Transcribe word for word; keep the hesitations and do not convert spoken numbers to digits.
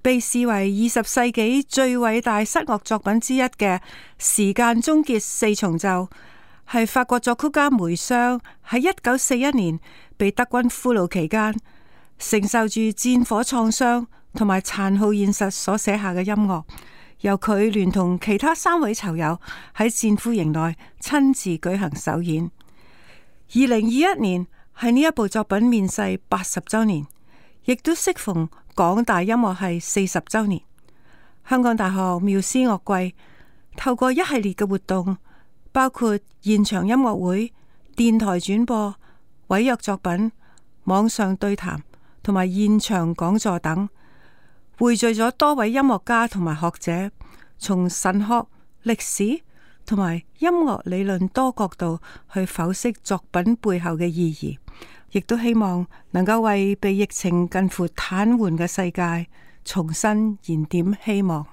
被視為二十世紀最偉大失樂作品之一嘅《時間終結四重奏》，係法國作曲家梅湘喺一九四一年被德軍俘虜期間，承受住戰火創傷同埋殘酷現實所寫下嘅音樂，由佢聯同其他三位囚友喺戰俘營內親自舉行首演。二零二一年係呢一部作品面世八十周年，亦都適逢港大音樂系四十周年。香港大學繆斯樂季透過一系列嘅活動，包括現場音樂會、電台轉播、委約作品、網上對談同埋現場講座等，匯聚咗多位音樂家同埋學者，從神學、歷史同埋音樂理論多角度去剖析作品背後嘅意義，亦都希望能夠為被疫情近乎癱瘓嘅世界重新燃點希望。